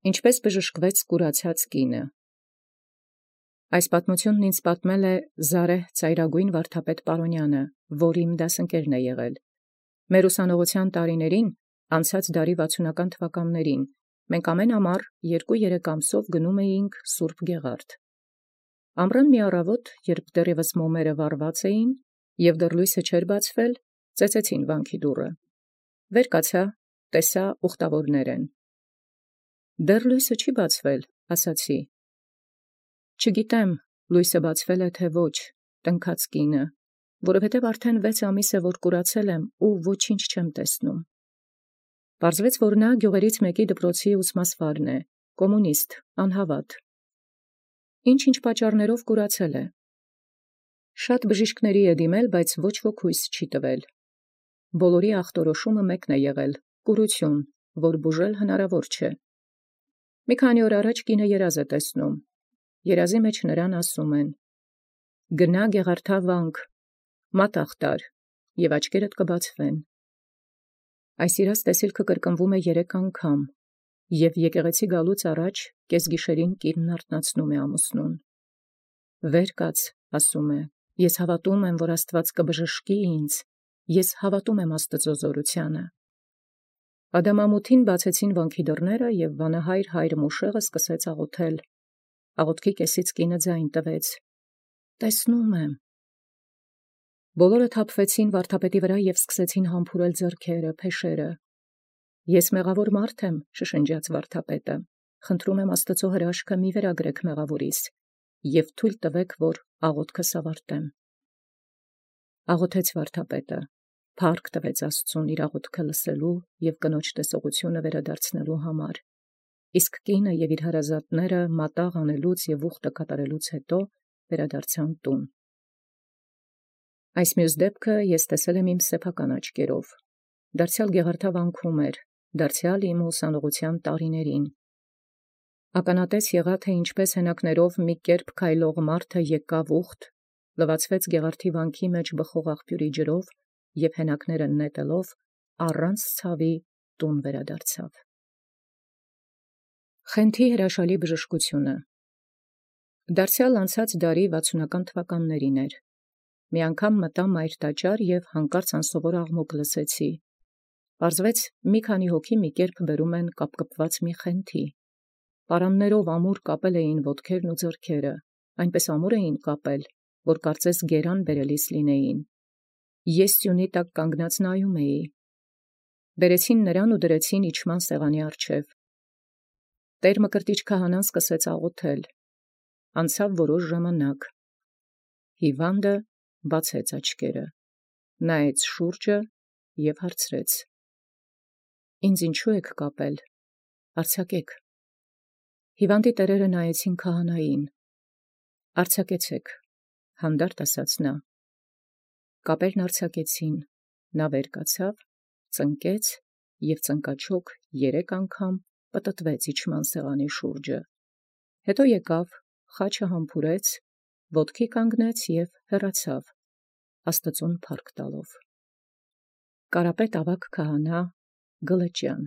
Ինչպէս բժշկվեց կուրացած կինը։ Այս պատմութիւնն ինձ պատմել է Զարեհ ծայրագոյն վարդապետ Պարոնյանը, որ իմ դասընկերն եղել։ Մեր ուսանողութեան տարիներին, անցած դարի 60-ական թվականներին, մենք ամեն ամառ 2-3 ամսով գնում էինք Սուրբ Գեղարդ։ Ամռան մի առավոտ, երբ դեռևս մոմերը վառված էին և դեռ լույսը չէր բացվել, ծեծեցին վանքի դուռը։ Վեր կացա, տեսա ուխտավորներ են։ Դեռ լույսը չի բացվել, ասացի։ Չգիտեմ, լույսը բացվել է թե ոչ, տնքաց կինը, որովհետև արդեն 6 ամիս է, որ կուրացել եմ ու ոչինչ չեմ տեսնում։ Պարզվեց, որ նա գյուղերից մեկի դպրոցի ուսմասվարն է, կոմունիստ, անհավատ։ Ինչ պատճառներով կուրացել է։ Շատ բժիշկների է դիմել, բայց ոչ ոք հույս չի տվել։ Բոլորի ախտորոշումը մեկն է եղել՝ կուրություն, որ բուժել հնարավոր չէ։ Մի քանի օր առաջ կինը երազ է տեսնում։ Երազի մեջ նրան ասում են. «Գնա Գեղարդա վանք, մատաղ տար, և աչքերդ կբացվեն»։ Այս իրաց տեսիլքը կրկնվում է 3 անգամ, և եկեղեցի գալուց առաջ կեսգիշերին կինն արթնացնում է ամուսնուն։ «Վեր կաց», ասում է, «ես հավատում եմ, որ Աստված կբժշկի ինձ, ես հավատում եմ Աստծո զորությանը»։ Ադամամութին բացեցին վանքի դռները, և վանահայր հայր Մուշեղը սկսեց աղոթել։ Աղոթքի կեսից կինը ձայն տվեց. «Տեսնում եմ»։ Բոլորը թափվեցին վարդապետի վրա և սկսեցին համբուրել ձեռքերը, փեշերը։ «Ես մեղավոր մարդ եմ», շշնջաց վարդապետը, «խնդրում եմ Աստծո հրաշքը մի վերագրեք մեղավորիս և թույլ տվեք, որ աղոթքս ավարտեմ»։ Աղոթեց վարդապետը, փառք տվեց Աստծուն իր աղոթքը լսելու և կնոջ տեսողությունը վերադարձնելու համար։ Իսկ կինը և իր հարազատները մատաղ անելուց և ուխտը կատարելուց հետո վերադարձան տուն։ Այս մյուս դեպքը ես տեսել եմ իմ սեփական աչքերով։ Դարձյալ Գեղարդա վանքում էր, դարձյալ իմ ուսանողութեան տարիներին։ Ականատես եղա, թե ինչպես հենակներով մի կերպ քայլող մարդը եկավ ուխտ, լվացվեց Գեղարդի վանքի մեջ բխող աղբյուրի ջրով և հենակները նետելով առանց ցավի տուն վերադարձավ։ Խենթի հրաշալի բժշկությունը։ Դարձյալ անցած դարի 60-ական թվականներին էր։ Մի անգամ մտա մայր տաճար և հանկարծ անսովոր աղմուկ լսեցի։ Պարզվեց, մի քանի հոգի մի կերպ բերում են կապկպված մի խենթի։ Պարաններով ամուր կապել էին ոտքերն ու ձեռքերը, այնպես ամուր էին կապել, որ կարծես գերան բերելիս լինեին։ Ես սյունի տակ կանգնած նայում էի։ Բերեցին նրան ու դրեցին իջման սեղանի առջև։ Տեր Մկրտիչ քահանան սկսեց աղոթել։ Անցավ որոշ ժամանակ։ Հիվանդը բացեց աչքերը, նայեց շուրջը և հարցրեց. «Ինձ ինչու եք կապել, արձակեք»։ Հիվանդի տերերը նայեցին քահանային։ «Արձակեցեք», հանդարտ ասաց նա։ Կապերն արձակեցին, նա վեր կացավ, ծնկեց և ծնկաչոք 3 անգամ պտտվեց իջման սեղանի շուրջը։ Հետո եկավ, խաչը համբուրեց, ոտքի կանգնեց և հեռացավ, Աստծուն փառք տալով։ Կարապետ ավագ քահանա Գլրջյան։